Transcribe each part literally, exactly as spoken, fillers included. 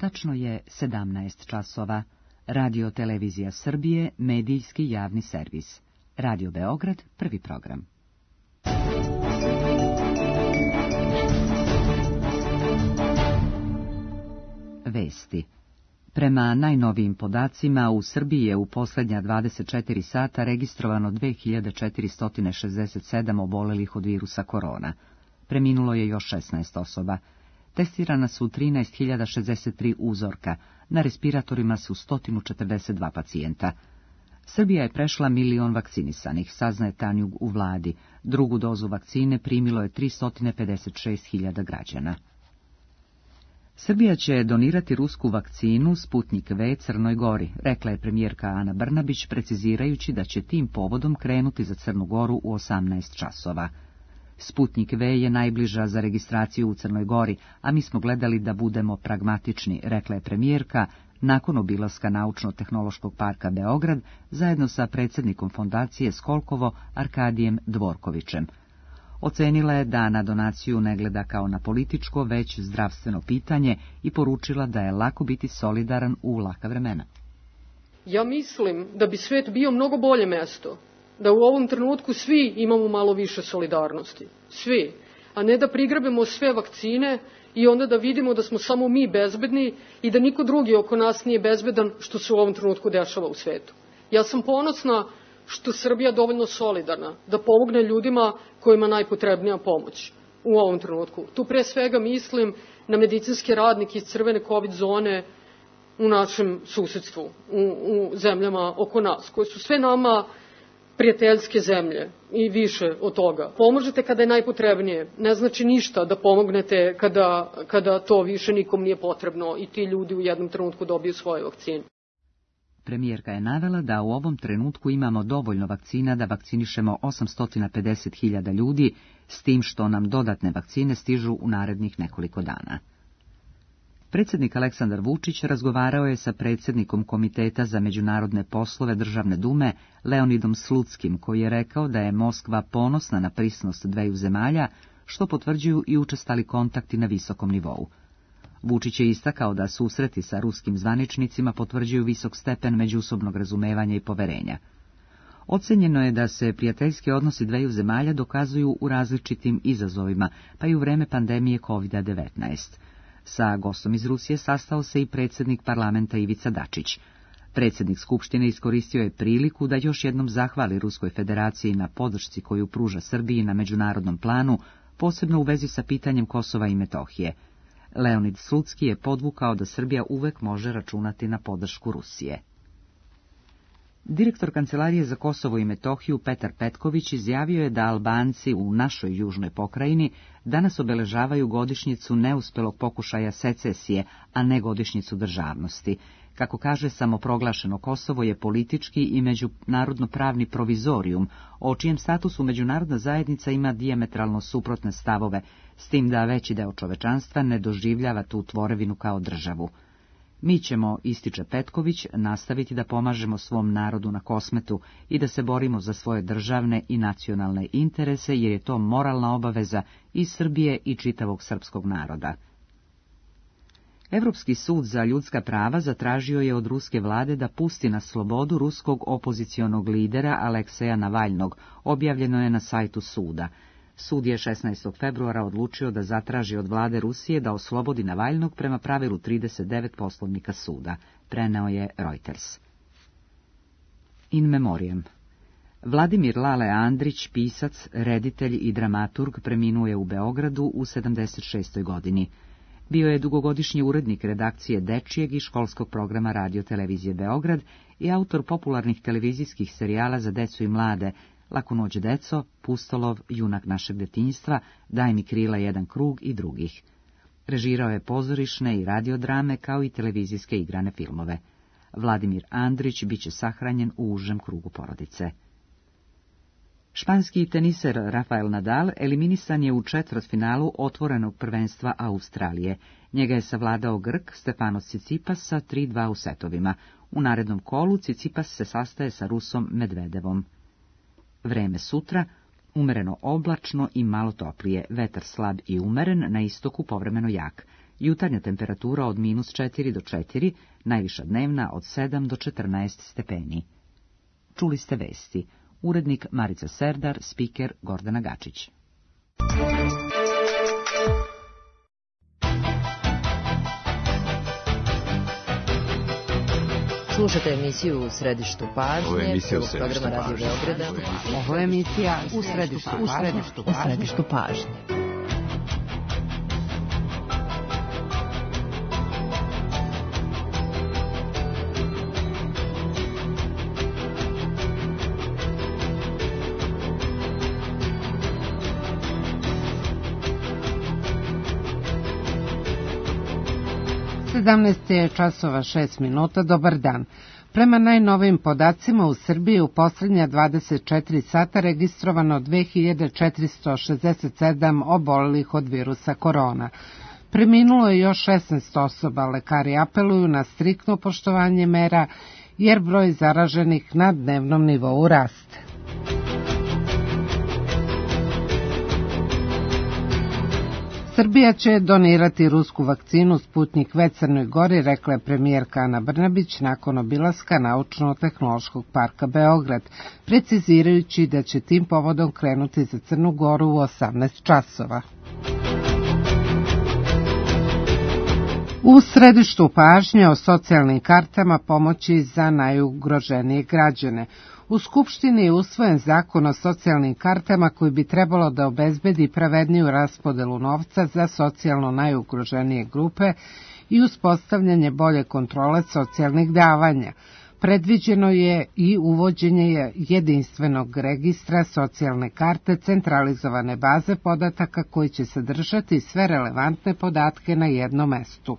Tačno je sedamnaest časova. Radio Televizija Srbije, medijski javni servis. Radio Beograd, prvi program. Vesti. Prema najnovijim podacima, u Srbiji je u posljednja dvadeset četiri sata registrovano dve hiljade četiristo šezdeset sedam obolelih od virusa korona. Preminulo je još šesnaest osoba. Testirana su trinaest hiljada šezdeset tri uzorka, na respiratorima su sto četrdeset dva pacijenta. Srbija je prešla milion vakcinisanih, saznaje Tanjug u vladi. Drugu dozu vakcine primilo je tristo pedeset šest hiljada građana. Srbija će donirati rusku vakcinu Sputnik V Crnoj Gori, rekla je premijerka Ana Brnabić, precizirajući da će tim povodom krenuti za Crnu Goru u osamnaest časova. Sputnik V je najbliža za registraciju u Crnoj Gori, a mi smo gledali da budemo pragmatični, rekla je premijerka, nakon obilaska Naučno-tehnološkog parka Beograd, zajedno sa predsjednikom fondacije Skolkovo Arkadijem Dvorkovićem. Ocenila je da na donaciju ne gleda kao na političko, već zdravstveno pitanje i poručila da je lako biti solidaran u laka vremena. Ja mislim da bi svet bio mnogo bolje mesto, da u ovom trenutku svi imamo malo više solidarnosti. Svi. A ne da prigrabimo sve vakcine i onda da vidimo da smo samo mi bezbedni i da niko drugi oko nas nije bezbedan, što se u ovom trenutku dešava u svetu. Ja sam ponosna što Srbija dovoljno solidarna da pomogne ljudima kojima najpotrebnija pomoć u ovom trenutku. Tu pre svega mislim na medicinske radnike iz crvene COVID zone u našem susedstvu, u, u zemljama oko nas, koje su sve nama prijateljske zemlje i više od toga. Pomožete kada je najpotrebnije. Ne znači ništa da pomognete kada, kada to više nikom nije potrebno i ti ljudi u jednom trenutku dobiju svoje vakcine. Premijerka je navela da u ovom trenutku imamo dovoljno vakcina da vakcinišemo osamsto pedeset hiljada ljudi, s tim što nam dodatne vakcine stižu u narednih nekoliko dana. Predsjednik Aleksandar Vučić razgovarao je sa predsjednikom Komiteta za međunarodne poslove Državne dume Leonidom Slutskim, koji je rekao da je Moskva ponosna na prisnost dveju zemalja, što potvrđuju i učestali kontakti na visokom nivou. Vučić je istakao da susreti sa ruskim zvaničnicima potvrđuju visok stepen međusobnog razumevanja i poverenja. Ocenjeno je da se prijateljski odnosi dveju zemalja dokazuju u različitim izazovima, pa i u vreme pandemije kovid devetnaest. Sa gostom iz Rusije sastao se i predsjednik parlamenta Ivica Dačić. Predsjednik Skupštine iskoristio je priliku da još jednom zahvali Ruskoj federaciji na podršci koju pruža Srbiji na međunarodnom planu, posebno u vezi sa pitanjem Kosova i Metohije. Leonid Slutski je podvukao da Srbija uvek može računati na podršku Rusije. Direktor Kancelarije za Kosovo i Metohiju Petar Petković izjavio je da Albanci u našoj južnoj pokrajini danas obeležavaju godišnjicu neuspelog pokušaja secesije, a ne godišnjicu državnosti. Kako kaže, samoproglašeno Kosovo je politički i međunarodno-pravni provizorijum, o čijem statusu međunarodna zajednica ima dijametralno suprotne stavove, s tim da veći deo čovečanstva ne doživljava tu tvorevinu kao državu. Mi ćemo, ističe Petković, nastaviti da pomažemo svom narodu na Kosmetu i da se borimo za svoje državne i nacionalne interese, jer je to moralna obaveza i Srbije i čitavog srpskog naroda. Evropski sud za ljudska prava zatražio je od ruske vlade da pusti na slobodu ruskog opozicionog lidera Alekseja Navalnog, objavljeno je na sajtu suda. Sud je šesnaestog februara odlučio da zatraži od vlade Rusije da oslobodi Navalnog prema pravilu trideset devet poslovnika suda, preneo je Reuters. In memoriam. Vladimir Lale Andrić, pisac, reditelj i dramaturg, preminuo je u Beogradu u sedamdeset šestoj godini. Bio je dugogodišnji urednik redakcije dečijeg i školskog programa Radio Televizije Beograd i autor popularnih televizijskih serijala za decu i mlade Lako noć deco, Pustolov, Junak našeg detinjstva, Daj mi krila jedan krug i drugih. Režirao je pozorišne i radiodrame kao i televizijske igrane filmove. Vladimir Andrić biće sahranjen u užem krugu porodice. Španski teniser Rafael Nadal eliminisan je u četvrtfinalu otvorenog prvenstva Australije. Njega je savladao Grk Stefanos Tsitsipas sa tri dva u setovima. U narednom kolu Tsitsipas se sastaje sa Rusom Medvedevom. Vreme sutra, umereno oblačno i malo toplije, vetar slab i umeren, na istoku povremeno jak. Jutarnja temperatura od minus četiri do četiri, najviša dnevna od sedam do četrnaest stepeni. Čuli ste vesti. Urednik Marica Serdar, spiker Gordana Gačić. Slušate emisiju U središtu pažnje. Ovo je emisija U središtu pažnje. Ovo je emisija U središtu pažnje. U središtu pažnje. sedamnaest je časova šest minuta, dobar dan. Prema najnovijim podacima u Srbiji u posljednja dvadeset četiri sata registrovano dve hiljade četiristo šezdeset sedam obolelih od virusa korona. Preminulo je još šesnaest osoba, lekari apeluju na striktno poštovanje mera jer broj zaraženih na dnevnom nivou raste. Srbija će donirati rusku vakcinu Sputnjik V Crnoj Gori, rekla je premijerka Ana Brnabić nakon obilaska Naučno-tehnološkog parka Beograd, precizirajući da će tim povodom krenuti za Crnu Goru u osamnaest časova. U središtu pažnje o socijalnim kartama pomoći za najugroženije građane. U Skupštini je usvojen zakon o socijalnim kartama koji bi trebalo da obezbedi pravedniju raspodelu novca za socijalno najugroženije grupe i uspostavljanje bolje kontrole socijalnih davanja. Predviđeno je i uvođenje jedinstvenog registra socijalne karte, centralizovane baze podataka koji će sadržati sve relevantne podatke na jednom mestu.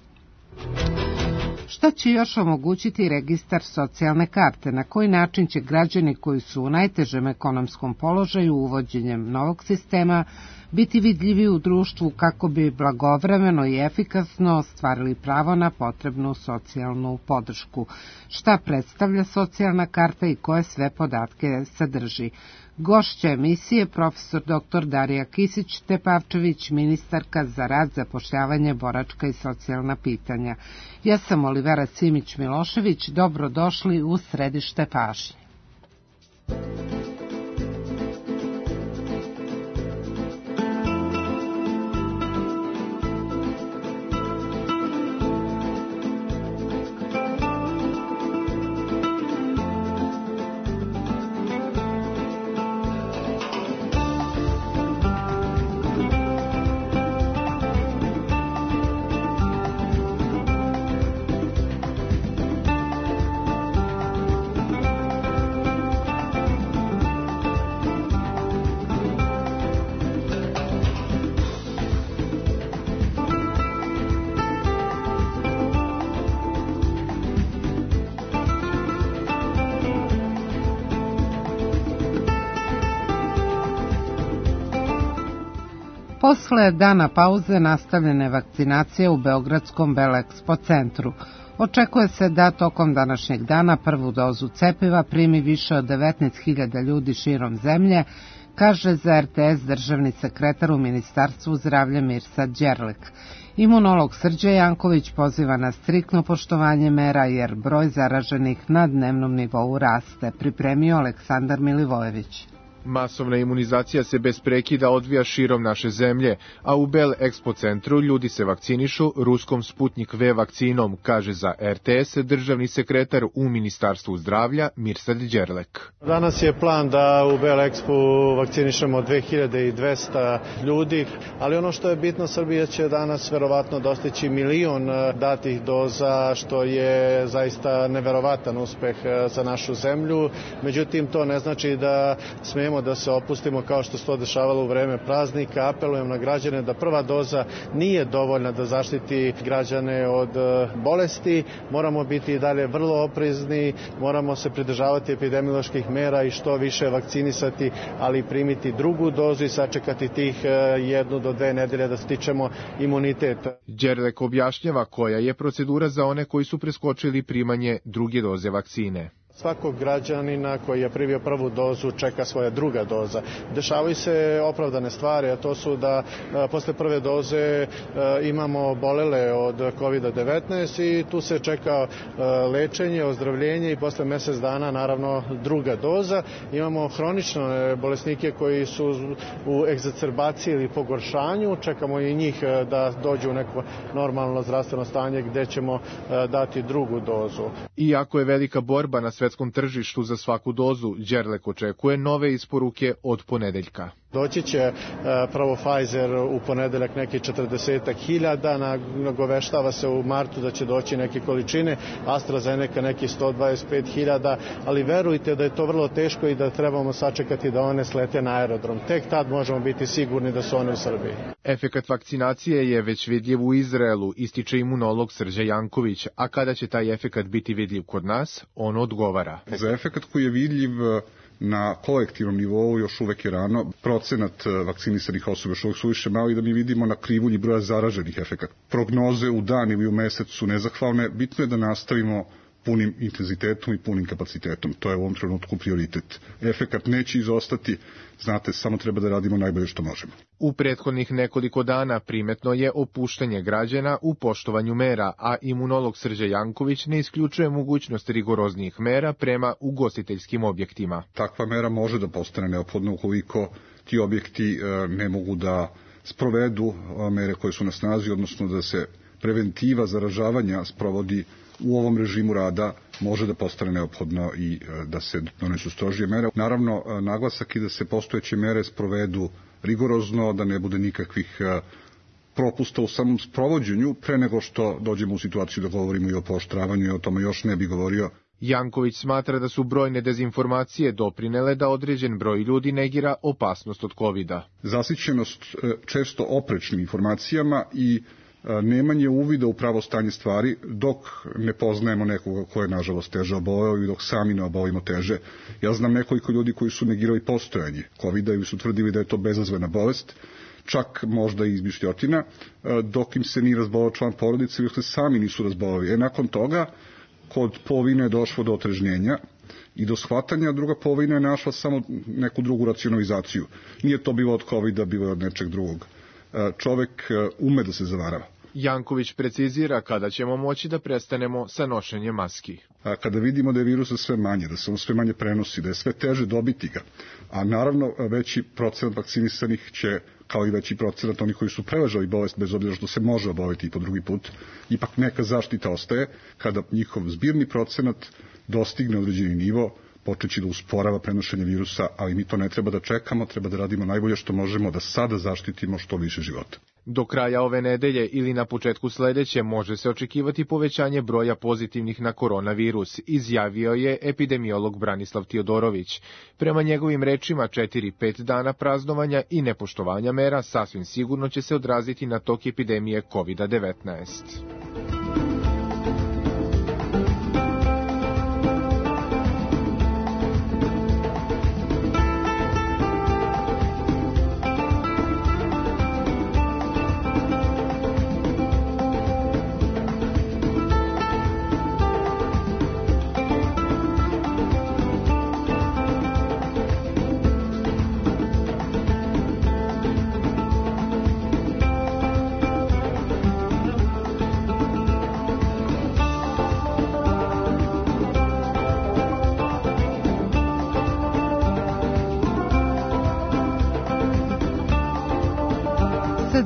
Šta će još omogućiti registar socijalne karte? Na koji način će građani koji su u najtežem ekonomskom položaju uvođenjem novog sistema biti vidljivi u društvu kako bi blagovremeno i efikasno ostvarili pravo na potrebnu socijalnu podršku? Šta predstavlja socijalna karta i koje sve podatke sadrži? Gošća emisije profesor doktor Darija Kisić-Tepavčević, ministarka za rad, zapošljavanje, boračka i socijalna pitanja. Ja sam Olivera Simić-Milošević, dobrodošli u središte pažnje. Posle dana pauze nastavljena je vakcinacija u Beogradskom Belexpo centru. Očekuje se da tokom današnjeg dana prvu dozu cepiva primi više od devetnaest hiljada ljudi širom zemlje, kaže za er te es državni sekretar u Ministarstvu zdravlja Mirsad Đerlek. Imunolog Srđe Janković poziva na striktno poštovanje mera jer broj zaraženih na dnevnom nivou raste, pripremio Aleksandar Milivojević. Masovna imunizacija se bez prekida odvija širom naše zemlje, a u Bel Expo centru ljudi se vakcinišu ruskom Sputnjik V vakcinom, kaže za er te es državni sekretar u Ministarstvu zdravlja Mirsad Đerlek. Danas je plan da u Bel Expo vakcinišemo dve hiljade dvesta ljudi, ali ono što je bitno, Srbija će danas verovatno dostići milion datih doza, što je zaista neverovatan uspeh za našu zemlju. Međutim, to ne znači da smemo da se opustimo kao što se to dešavalo u vreme praznika. Apelujem na građane da prva doza nije dovoljna da zaštiti građane od bolesti. Moramo biti i dalje vrlo oprezni, moramo se pridržavati epidemioloških mera i što više vakcinisati, ali primiti drugu dozu i sačekati tih jednu do dve nedelje da stičemo imunitet. Đerlek objašnjava koja je procedura za one koji su preskočili primanje druge doze vakcine. Svakog građanina koji je primio prvu dozu čeka svoja druga doza. Dešavaju se opravdane stvari, a to su da a, posle prve doze a, imamo obolele od kovid devetnaest i tu se čeka a, lečenje, ozdravljenje i posle mesec dana naravno druga doza. Imamo hronične bolesnike koji su u egzacerbaciji ili pogoršanju, čekamo i njih a, da dođu u neko normalno zdravstveno stanje gde ćemo a, dati drugu dozu. Iako je velika borba na svetskom tržištu za svaku dozu, Đerlek očekuje nove isporuke od ponedeljka. Doći će prvo Pfizer u ponedeljak neki četrdeset hiljada, nagoveštava se u martu da će doći neke količine, AstraZeneca neki sto dvadeset pet hiljada, ali verujte da je to vrlo teško i da trebamo sačekati da one slete na aerodrom. Tek tad možemo biti sigurni da su one u Srbiji. Efekat vakcinacije je već vidljiv u Izraelu, ističe imunolog Srđa Janković, a kada će taj efekat biti vidljiv kod nas, on odgovara. Za efekat koji je vidljiv na kolektivnom nivou još uvek je rano. Procenat vakcinisanih osoba još uvek su više mali da mi vidimo na krivulji broja zaraženih efekata. Prognoze u dan ili u mesec su nezahvalne. Bitno je da nastavimo punim intenzitetom i punim kapacitetom. To je u ovom trenutku prioritet. Efekat neće izostati, znate, samo treba da radimo najbolje što možemo. U prethodnih nekoliko dana primetno je opuštanje građana u poštovanju mera, a imunolog Srđa Janković ne isključuje mogućnost rigoroznijih mera prema ugostiteljskim objektima. Takva mera može da postane neophodna ukoliko ti objekti ne mogu da sprovedu mere koje su na snazi, odnosno da se preventiva zaražavanja sprovodi u ovom režimu rada, može da postane neophodno i da se donesu strožije mere. Naravno, naglasak je da se postojeće mere sprovedu rigorozno, da ne bude nikakvih propusta u samom sprovođenju, pre nego što dođemo u situaciju da govorimo i o pooštravanju, i o tome još ne bi govorio. Janković smatra da su brojne dezinformacije doprinele da određen broj ljudi negira opasnost od kovida. Zasićenost često oprečnim informacijama i nemanje uvida u pravo stanje stvari dok ne poznajemo nekoga ko je nažalost teže oboleo i dok sami ne obolimo teže. Ja znam nekoliko ljudi koji su negirali postojanje kovida i su tvrdili da je to bezazvena bolest, čak možda i izmišljotina, dok im se nije razbolao član porodice ili se sami nisu razbolali. E nakon toga, kod polovine je došlo do otrežnjenja i do shvatanja, druga polovina je našla samo neku drugu racionalizaciju. Nije to bilo od kovida, bilo je od nečeg drugog. Čovek ume da se zavarava. Janković precizira kada ćemo moći da prestanemo sa nošenjem maski. A kada vidimo da je virusa sve manje, da se on sve manje prenosi, da je sve teže dobiti ga, a naravno veći procenat vakcinisanih će, kao i veći procenat onih koji su preležali bolest, bez obzira što se može oboliti i po drugi put, ipak neka zaštita ostaje. Kada njihov zbirni procenat dostigne određeni nivo, počeći da usporava prenošenje virusa, ali mi to ne treba da čekamo, treba da radimo najbolje što možemo da sada zaštitimo što više života. Do kraja ove nedelje ili na početku sledeće može se očekivati povećanje broja pozitivnih na koronavirus, izjavio je epidemiolog Branislav Tiodorović. Prema njegovim rečima, četiri pet dana praznovanja i nepoštovanja mera sasvim sigurno će se odraziti na tok epidemije kovid devetnaest.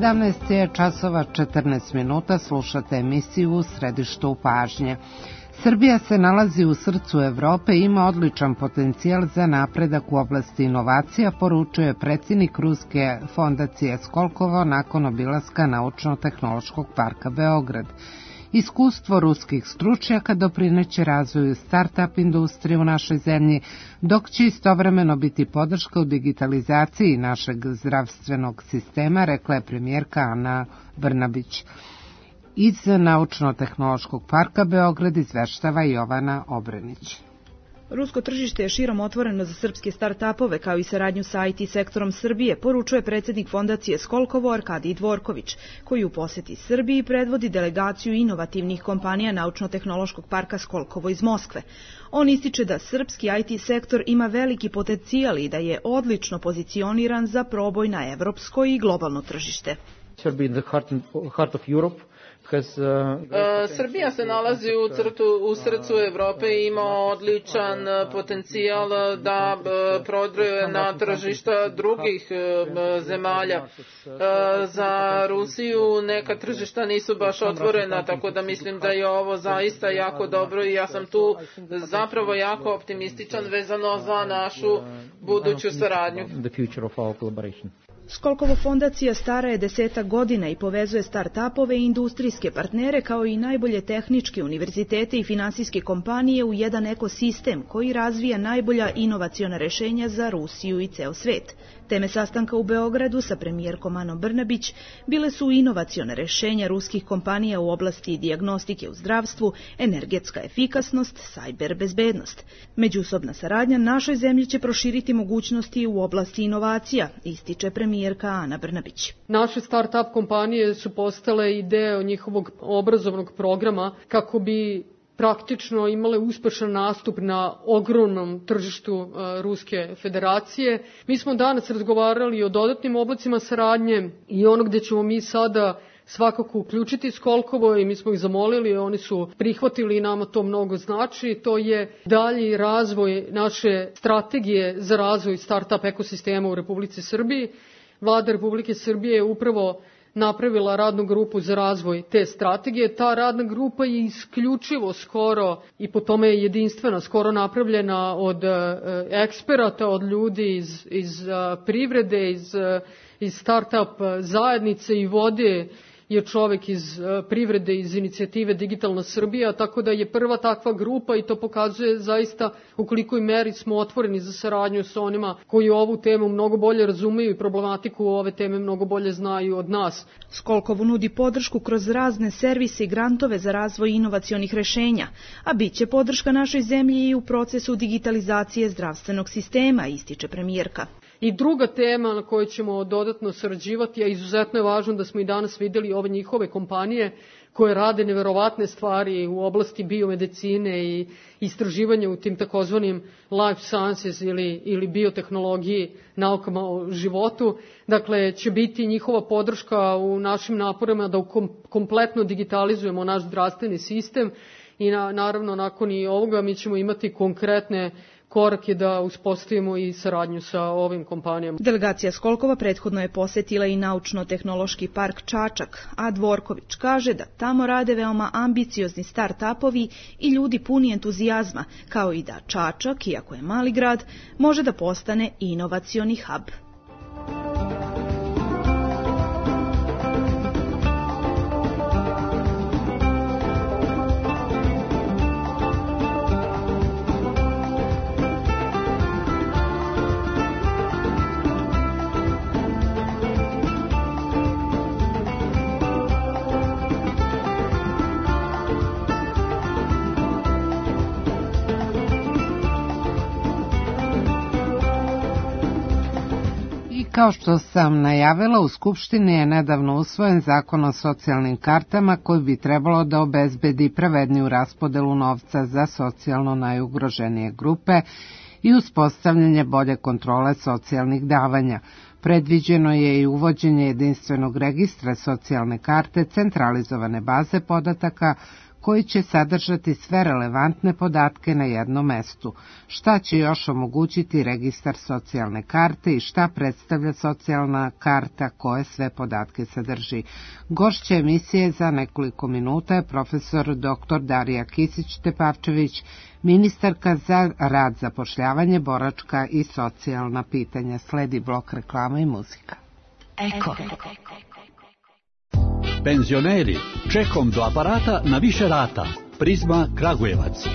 sedamnaest je časova četrnaest minuta, slušate emisiju U središtu pažnje. Srbija se nalazi u srcu Evrope i ima odličan potencijal za napredak u oblasti inovacija, poručuje predsjednik Ruske fondacije Skolkovo nakon obilaska Naučno-tehnološkog parka Beograd. Iskustvo ruskih stručnjaka doprineće razvoju start-up industrije u našoj zemlji, dok će istovremeno biti podrška u digitalizaciji našeg zdravstvenog sistema, rekla je premijerka Ana Brnabić. Iz Naučno-tehnološkog parka Beograd izveštava Jovana Obrenić. Rusko tržište je širom otvoreno za srpske start-upove, kao i saradnju sa I T sektorom Srbije, poručuje predsjednik fondacije Skolkovo Arkadij Dvorković, koji u posjeti Srbiji predvodi delegaciju inovativnih kompanija Naučno-tehnološkog parka Skolkovo iz Moskve. On ističe da srpski I T sektor ima veliki potencijal i da je odlično pozicioniran za proboj na evropsko i globalno tržište. Srbija se nalazi u, crtu, u srcu Evrope i ima odličan potencijal da prodre na tržišta drugih zemalja. Za Rusiju neka tržišta nisu baš otvorena, tako da mislim da je ovo zaista jako dobro i ja sam tu zapravo jako optimističan vezano za našu buduću saradnju. Skolkovo fondacija stara je desetak godina i povezuje start-upove i industrijske partnere kao i najbolje tehničke univerzitete i finansijske kompanije u jedan ekosistem koji razvija najbolja inovaciona rešenja za Rusiju i ceo svet. Teme sastanka u Beogradu sa premijerkom Anom Brnabić bile su inovaciona rešenja ruskih kompanija u oblasti dijagnostike u zdravstvu, energetska efikasnost, sajber bezbednost. Međusobna saradnja našoj zemlji će proširiti mogućnosti u oblasti inovacija, ističe premijerka Ana Brnabić. Naše start-up kompanije su postale i deo njihovog obrazovnog programa kako bi praktično imale uspešan nastup na ogromnom tržištu uh, Ruske federacije. Mi smo danas razgovarali o dodatnim oblicima saradnje i ono gde ćemo mi sada svakako uključiti Skolkovo i mi smo ih zamolili, oni su prihvatili i nama to mnogo znači. To je dalji razvoj naše strategije za razvoj start-up ekosistema u Republici Srbiji. Vlada Republike Srbije je upravo napravila radnu grupu za razvoj te strategije. Ta radna grupa je isključivo skoro i po tome je jedinstvena, skoro napravljena od eksperata, od ljudi iz, iz privrede, iz, iz start-up zajednice i vode je čovek iz privrede, iz inicijative Digitalna Srbija, tako da je prva takva grupa i to pokazuje zaista u kolikoj meri smo otvoreni za saradnju sa onima koji ovu temu mnogo bolje razumeju i problematiku ove teme mnogo bolje znaju od nas. Skolkovo nudi podršku kroz razne servise i grantove za razvoj inovacionih rešenja, a bit će podrška našoj zemlji i u procesu digitalizacije zdravstvenog sistema, ističe premijerka. I druga tema na kojoj ćemo dodatno sarađivati, a izuzetno je važno da smo i danas videli ove njihove kompanije koje rade neverovatne stvari u oblasti biomedicine i istraživanja u tim takozvanim life sciences ili, ili biotehnologiji, naukama o životu. Dakle, će biti njihova podrška u našim naporima da kom, kompletno digitalizujemo naš zdravstveni sistem i na, naravno nakon i ovoga mi ćemo imati konkretne korak je da uspostavimo i saradnju sa ovim kompanijama. Delegacija Skolkova prethodno je posetila i Naučno-tehnološki park Čačak, a Dvorković kaže da tamo rade veoma ambiciozni start-upovi i ljudi puni entuzijazma, kao i da Čačak, iako je mali grad, može da postane inovacioni hub. Kao što sam najavila, u Skupštini je nedavno usvojen zakon o socijalnim kartama koji bi trebalo da obezbedi pravedniju raspodelu novca za socijalno najugroženije grupe i uspostavljanje bolje kontrole socijalnih davanja. Predviđeno je i uvođenje jedinstvenog registra socijalne karte, centralizovane baze podataka koji će sadržati sve relevantne podatke na jednom mestu. Šta će još omogućiti registar socijalne karte i šta predstavlja socijalna karta, koje sve podatke sadrži? Gošća emisije za nekoliko minuta je profesor doktor Darija Kisić-Tepavčević, ministarka za rad, zapošljavanje, boračka i socijalna pitanja. Sledi blok reklama i muzika. Eko. Penzioneri, čekom do aparata na više rata. Prizma Kragujevac.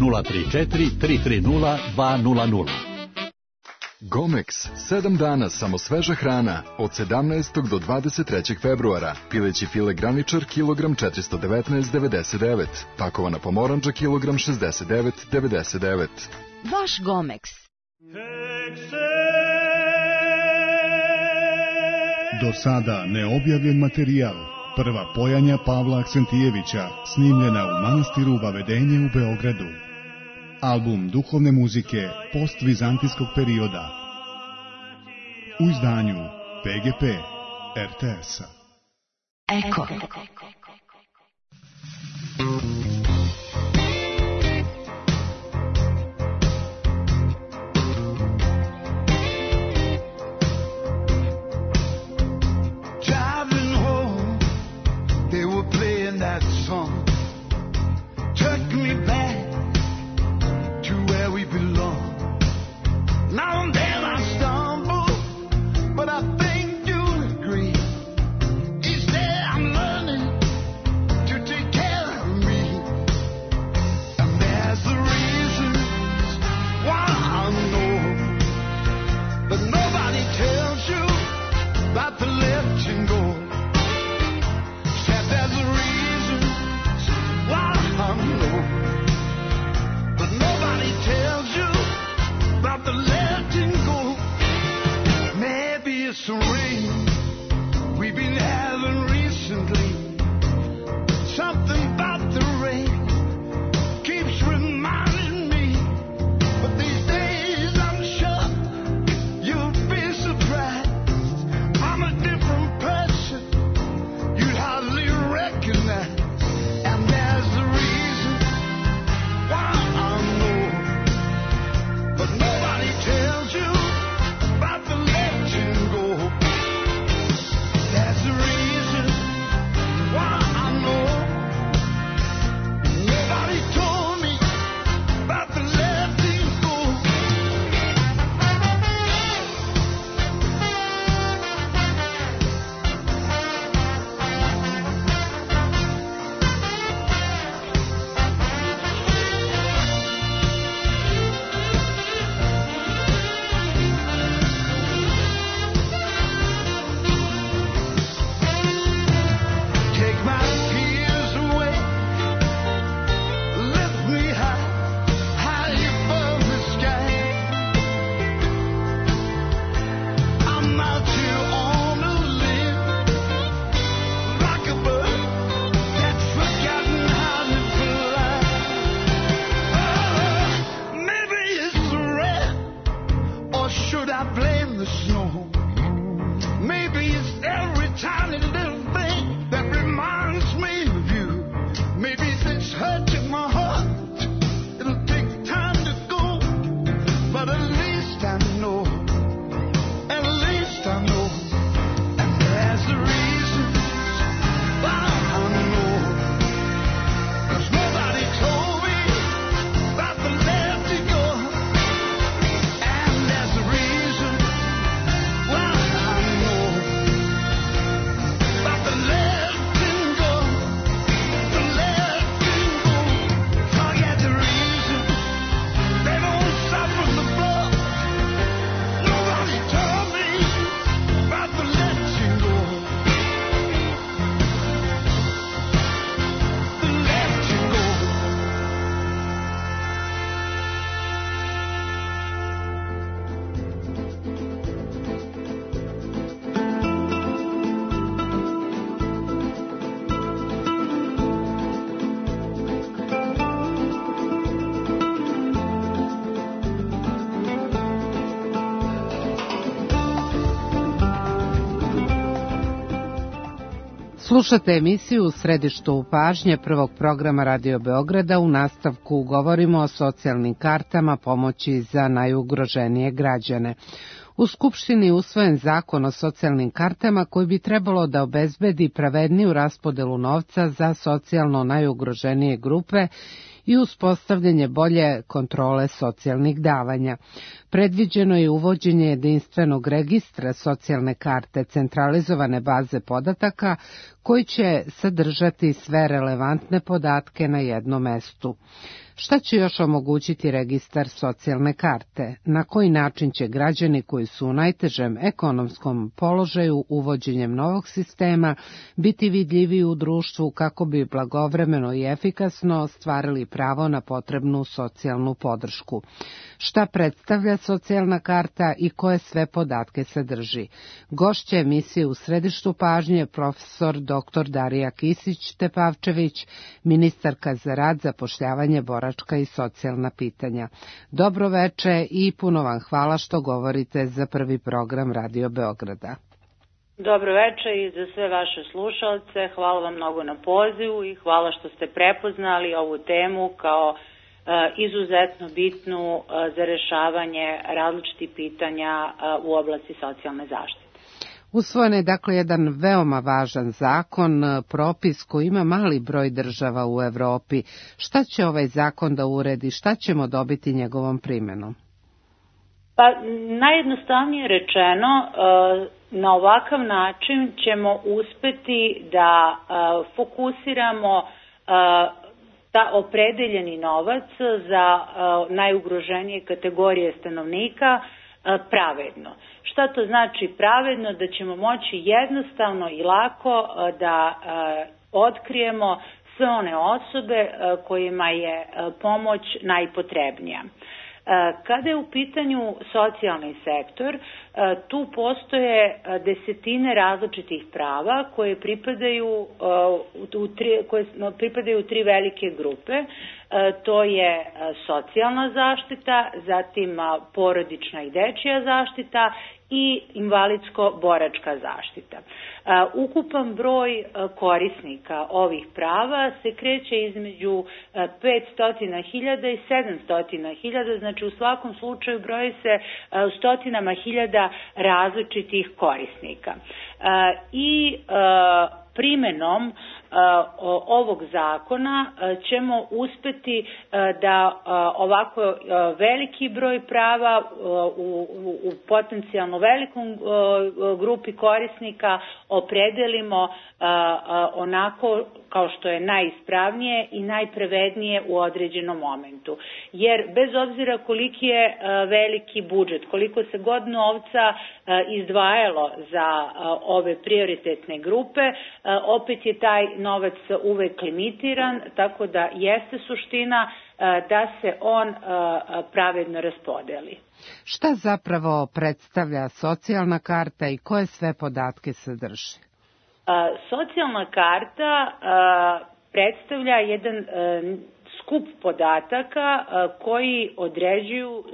nula tri četiri tri tri nula dva nula nula. Gomex, sedam dana samo sveža hrana, od sedamnaestog do dvadeset trećeg februara. Pileći file graničar, kilogram četiristo devetnaest zarez devedeset devet. Pakovana pomorandža, kilogram šezdeset devet zarez devedeset devet. Vaš Gomeks. Do sada neobjavljen materijal. Prva pojanja Pavla Aksentijevića, snimljena u manastiru Vavedenje u Beogradu. Album duhovne muzike postvizantijskog perioda. U izdanju P G P R T S-a. Eko. That song took me back to where we belong. Now and then I stumble, but I think you'll agree. Each day I'm learning to take care of me. And there's the reasons why I know, but nobody tells you about the letting go. Said there's a reason why I know, but nobody tells you about the letting go. Maybe it's the rain we've been having recently. Something about the rain keeps reminding me, but these days I'm sure you'll be surprised. I'm a different person you'd hardly recognize. And there's a reason why I know, but nobody tells you about the letting go. There's a reason why I know. Nobody told me about the letting go. Take my tears away, lift me high, high above the sky. I'm out here on a limb, like a bird that's forgotten how to fly. Oh, maybe it's the rain, or should I blame the snow? Maybe it's every tiny little thing that reminds me of you. Maybe it's hurting my heart. It'll take time to go, but at least I know. At least I know. And there's a reason why I know. 'Cause nobody told me about the letting go. And there's a reason why I know about the letting go. The letting go. Forget the reason. They don't suffer the blood. Nobody told me about the letting go. The letting go. Slušate emisiju U središtu pažnje prvog programa Radio Beograda. U nastavku govorimo o socijalnim kartama pomoći za najugroženije građane. U Skupštini je usvojen zakon o socijalnim kartama koji bi trebalo da obezbedi pravedniju raspodelu novca za socijalno najugroženije grupe i uspostavljanje bolje kontrole socijalnih davanja. Predviđeno je uvođenje jedinstvenog registra socijalne karte, centralizovane baze podataka koji će sadržati sve relevantne podatke na jednom mestu. Šta će još omogućiti registar socijalne karte? Na koji način će građani koji su u najtežem ekonomskom položaju uvođenjem novog sistema biti vidljiviji u društvu kako bi blagovremeno i efikasno ostvarili pravo na potrebnu socijalnu podršku? Šta predstavlja socijalna karta i koje sve podatke sadrži? Gošća emisije U središtu pažnje profesor doktor Darija Kisić-Tepavčević, ministarka za rad, zapošljavanje, boračka i socijalna pitanja. Dobro veče i puno vam hvala što govorite za prvi program Radio Beograda. Dobro veče i za sve vaše slušalce. Hvala vam mnogo na pozivu i hvala što ste prepoznali ovu temu kao izuzetno bitnu za rešavanje različitih pitanja u oblasti socijalne zaštite. Usvojen je dakle jedan veoma važan zakon, propis koji ima mali broj država u Evropi. Šta će ovaj zakon da uredi, šta ćemo dobiti njegovom primenom? Pa najjednostavnije rečeno, na ovakav način ćemo uspeti da fokusiramo ta opredeljeni novac za najugroženije kategorije stanovnika pravedno. Šta to znači pravedno? Da ćemo moći jednostavno i lako da otkrijemo sve one osobe kojima je pomoć najpotrebnija. Kada je u pitanju socijalni sektor, tu postoje desetine različitih prava koje pripadaju u tri, koje pripadaju u tri velike grupe. To je socijalna zaštita, zatim porodična i dečija zaštita i invalidsko-boračka zaštita. Ukupan broj korisnika ovih prava se kreće između petsto hiljada i sedamsto hiljada, znači u svakom slučaju broji se u stotinama hiljada različitih korisnika. I primenom ovog zakona ćemo uspeti da ovako veliki broj prava u, u potencijalno velikom grupi korisnika opredelimo onako kao što je najispravnije i najpravednije u određenom momentu. Jer bez obzira koliki je veliki budžet, koliko se god novca izdvajalo za ove prioritetne grupe, opet je taj novac uvek limitiran, tako da jeste suština da se on pravedno raspodeli. Šta zapravo predstavlja socijalna karta i koje sve podatke sadrži? Socijalna karta predstavlja jedan skup podataka koji određuju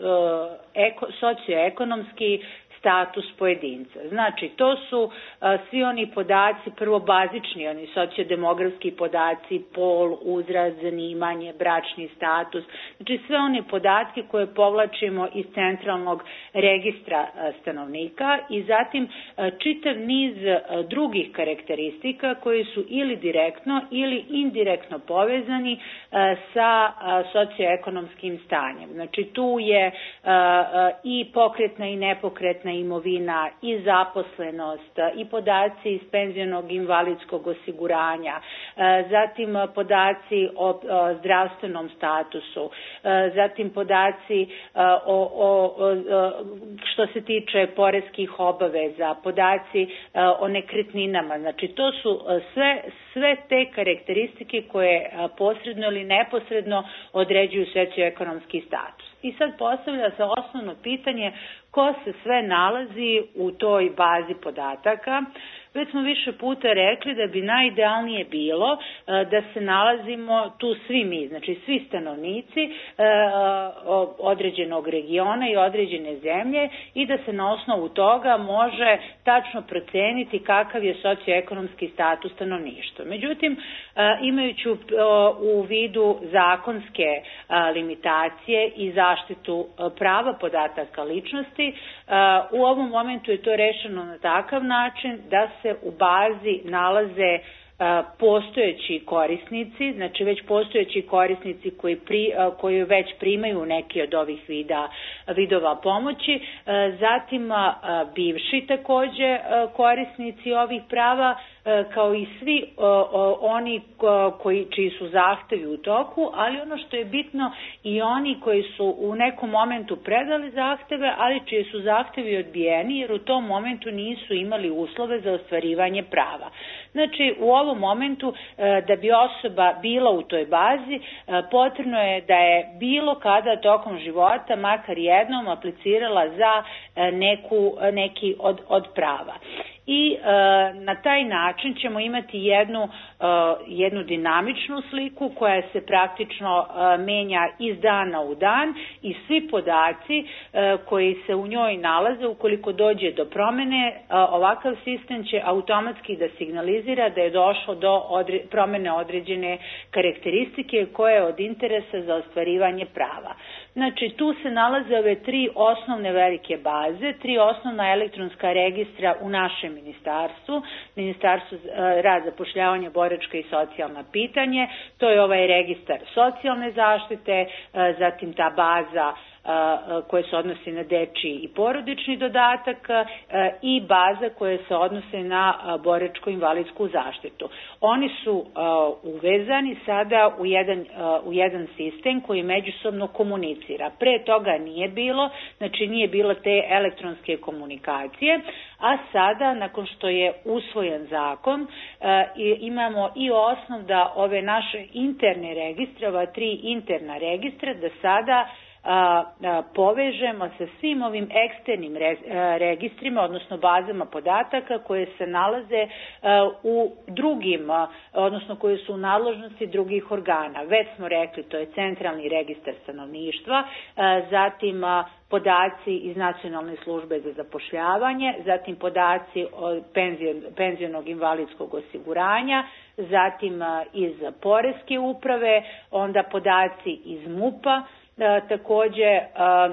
socioekonomski status pojedinca. Znači, to su a, svi oni podaci, prvo bazični, oni sociodemografski podaci, pol, uzrast, zanimanje, bračni status, znači sve one podatke koje povlačimo iz centralnog registra a, stanovnika i zatim a, čitav niz a, drugih karakteristika koji su ili direktno ili indirektno povezani a, sa a, socioekonomskim stanjem. Znači, tu je a, a, i pokretna i nepokretna imovina i zaposlenost i podaci iz penzionog invalidskog osiguranja, zatim podaci o zdravstvenom statusu, zatim podaci o, o, što se tiče poreskih obaveza, podaci o nekretninama. Znači to su sve, sve te karakteristike koje posredno ili neposredno određuju socioekonomski status. I sad postavlja se osnovno pitanje ko se sve nalazi u toj bazi podataka. Već smo više puta rekli da bi najidealnije bilo da se nalazimo tu svi mi, znači svi stanovnici određenog regiona i određene zemlje i da se na osnovu toga može tačno proceniti kakav je socioekonomski status stanovništva. Međutim, imajući u vidu zakonske limitacije i zaštitu prava podataka ličnosti, u ovom momentu je to rešeno na takav način da se u bazi nalaze postojeći korisnici, znači već postojeći korisnici koji, pri, koji već primaju neki od ovih vida, vidova pomoći, zatim bivši takođe korisnici ovih prava kao i svi oni koji, čiji su zahtevi u toku, ali ono što je bitno i oni koji su u nekom momentu predali zahteve, ali čiji su zahtevi odbijeni jer u tom momentu nisu imali uslove za ostvarivanje prava. Znači, u ovom momentu da bi osoba bila u toj bazi, potrebno je da je bilo kada tokom života makar jednom aplicirala za neku, neki od, od prava. I e, na taj način ćemo imati jednu, e, jednu dinamičnu sliku koja se praktično e, menja iz dana u dan i svi podaci e, koji se u njoj nalaze, ukoliko dođe do promene, e, ovakav sistem će automatski da signalizira da je došlo do odre, promene određene karakteristike koje je od interesa za ostvarivanje prava. Znači, tu se nalaze ove tri osnovne velike baze, tri osnovna elektronska registra u našem ministarstvu, Ministarstvu rada, zapošljavanja, boračka i socijalna pitanje, to je ovaj registar socijalne zaštite, zatim ta baza koje se odnose na dečiji i porodični dodatak i baza koje se odnose na boračko-invalidsku zaštitu. Oni su uvezani sada u jedan, u jedan sistem koji međusobno komunicira. Pre toga nije bilo, znači nije bilo te elektronske komunikacije, a sada, nakon što je usvojen zakon, imamo i osnov da ove naše interne registre, ova tri interna registra, da sada A, a, povežemo sa svim ovim eksternim re, a, registrima, odnosno bazama podataka koje se nalaze a, u drugim, a, odnosno koje su u nadležnosti drugih organa. Već smo rekli, to je centralni registar stanovništva, a, zatim a, podaci iz Nacionalne službe za zapošljavanje, zatim podaci od penzion, penzionog invalidskog osiguranja, zatim a, iz Poreske uprave, onda podaci iz MUP-a, E, takođe a,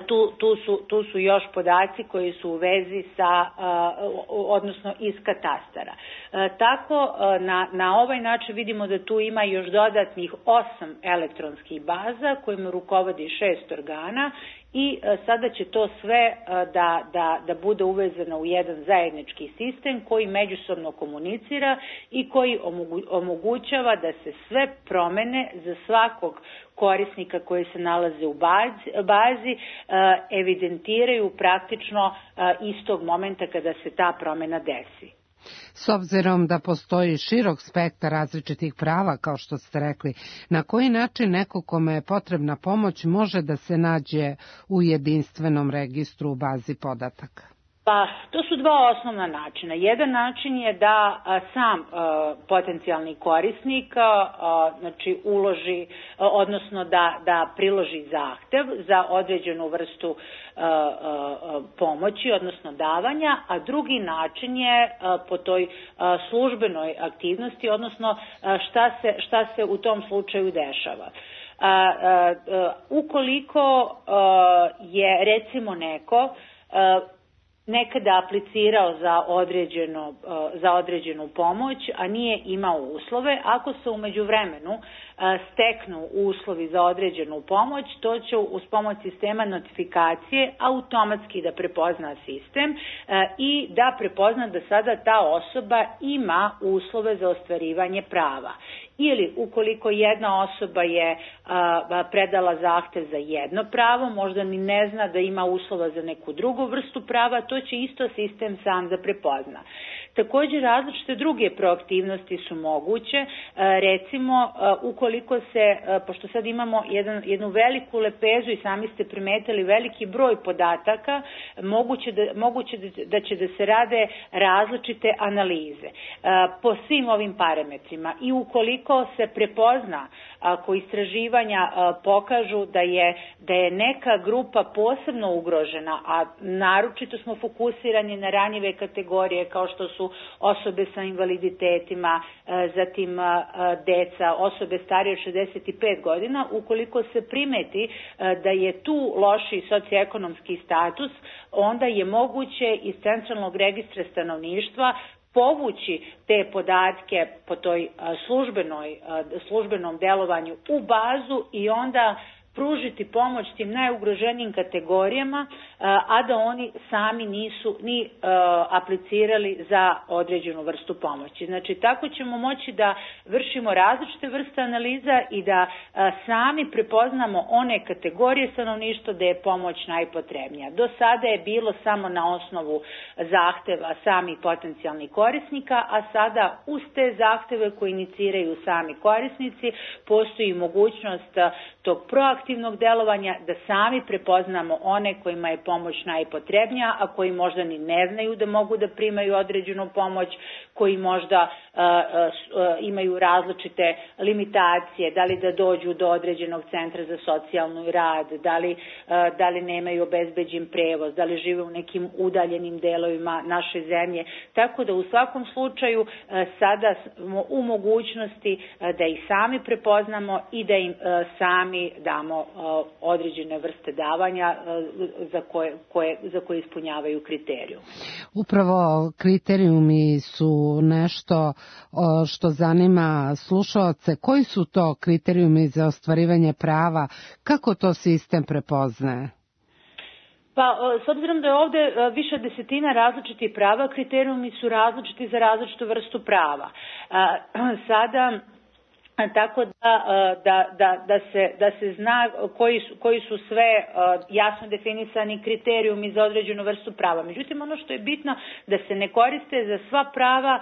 tu, tu, su, tu su još podaci koji su u vezi sa, a, odnosno iz katastara. E, tako a, na, na ovaj način vidimo da tu ima još dodatnih osam elektronskih baza kojima rukovodi šest organa i a, sada će to sve a, da, da, da bude uvezano u jedan zajednički sistem koji međusobno komunicira i koji omogu, omogućava da se sve promene za svakog korisnika koji se nalaze u bazi, bazi evidentiraju praktično istog momenta kada se ta promena desi. S obzirom da postoji širok spektar različitih prava, kao što ste rekli, na koji način neko kome je potrebna pomoć može da se nađe u jedinstvenom registru u bazi podataka? Pa, to su dva osnovna načina. Jedan način je da a, sam a, potencijalni korisnik a, znači uloži, a, odnosno da, da priloži zahtev za određenu vrstu a, a, pomoći, odnosno davanja, a drugi način je a, po toj a, službenoj aktivnosti, odnosno a, šta se, šta se u tom slučaju dešava. A, a, a, ukoliko a, je recimo neko a, nekada aplicirao za određenu, za određenu pomoć, a nije imao uslove, ako se u međuvremenu steknu uslovi za određenu pomoć, to će uz pomoć sistema notifikacije automatski da prepozna sistem i da prepozna da sada ta osoba ima uslove za ostvarivanje prava. Ili ukoliko jedna osoba je a, predala zahtev za jedno pravo, možda ni ne zna da ima uslova za neku drugu vrstu prava, to će isto sistem sam da prepozna. Također različite druge proaktivnosti su moguće, recimo ukoliko se, pošto sad imamo jedan, jednu veliku lepezu i sami ste primetili veliki broj podataka, moguće da, moguće da će da se rade različite analize po svim ovim parametrima i ukoliko se prepozna, ako istraživanja pokažu da je, da je neka grupa posebno ugrožena, a naročito smo fokusirani na ranjive kategorije kao što su osobe sa invaliditetima, zatim deca, osobe starije od šezdeset pet godina, ukoliko se primeti da je tu loši socioekonomski status, onda je moguće iz centralnog registra stanovništva povući te podatke po toj službenoj, službenom delovanju u bazu i onda pružiti pomoć tim najugroženijim kategorijama, a da oni sami nisu ni aplicirali za određenu vrstu pomoći. Znači, tako ćemo moći da vršimo različite vrste analiza i da sami prepoznamo one kategorije stanovništva gde je pomoć najpotrebnija. Do sada je bilo samo na osnovu zahteva samih potencijalnih korisnika, a sada uz te zahteve koje iniciraju sami korisnici postoji mogućnost tog proaktivnog delovanja da sami prepoznamo one kojima je pomoć najpotrebnija, a koji možda ni ne znaju da mogu da primaju određenu pomoć, koji možda uh, uh, imaju različite limitacije, da li da dođu do određenog centra za socijalnu rad, da li, uh, da li nemaju obezbeđen prevoz, da li žive u nekim udaljenim delovima naše zemlje. Tako da u svakom slučaju uh, sada smo u mogućnosti uh, da ih sami prepoznamo i da im uh, sami damo uh, određene vrste davanja uh, za koje, koje, za koje ispunjavaju kriterijum. Upravo kriterijumi su nešto što zanima slušaoce. Koji su to kriterijumi za ostvarivanje prava? Kako to sistem prepoznaje? Pa, s obzirom da je ovde više desetina različitih prava, kriterijumi su različiti za različitu vrstu prava. Sada, tako da, da, da, da, se, da se zna koji su, koji su sve jasno definisani kriterijumi za određenu vrstu prava. Međutim, ono što je bitno da se ne koriste za sva prava